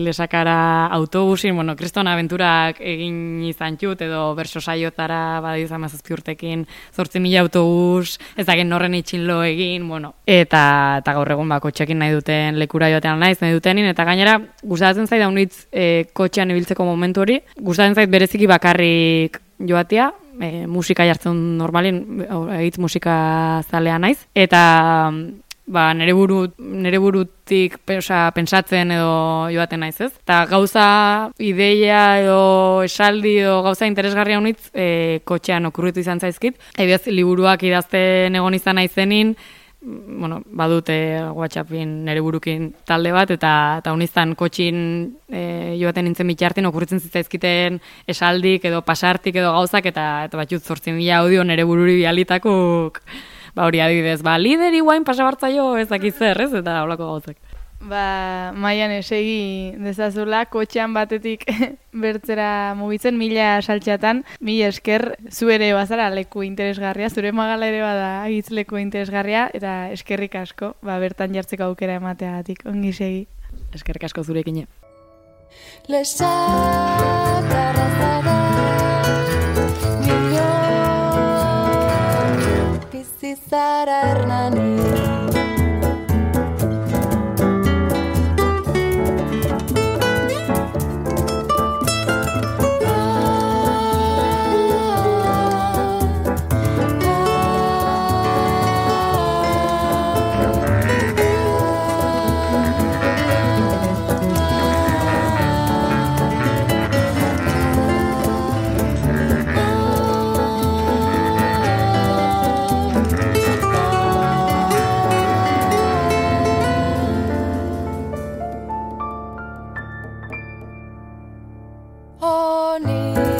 lesakara autobusin, kriston abenturak egin izan txut, edo berso saiotara izan 17 urtekin 8.000 autobus, ezagen horren itxinlo egin, eta gaur egun kotxekin nahi duten lekura joatean nahi dutenin, eta gainera gustatzen zait daunitz kotxean ibiltzeko momentu hori, gustatzen zait bereziki bakarrik joatea, musika jartzen normalin, egitz musika zalea naiz, eta nere burutik pentsatzen edo joaten naiz, ez? Eta gauza, ideia edo esaldi edo gauza interesgarria honitz kotxean okurritu izan zaizkit. Ebiaz, liburuak idazten egon izan naizenin, badute WhatsAppin nere burukin talde bat, eta honiztan kotxin joaten nintzen bitartin okurritzen zitzaizkiten esaldik edo pasartik edo gauzak, eta batxut 8.000 audio nere bururi bialitakuk, hori adibidez, lideri guain pasabartzaio ezakit zer, ez? Eta holako gauzak. Maiane, segi dezazula, kotxean batetik bertzera mugitzen, 1000 saltxatan, 1000 esker, zu ere bazara leku interesgarria, zure magala ere bada agitz leku interesgarria, eta eskerrik asko, bertan jartzeko aukera emateagatik, ongi segi. Eskerrik asko zurekin. Zara Hernani. Honey.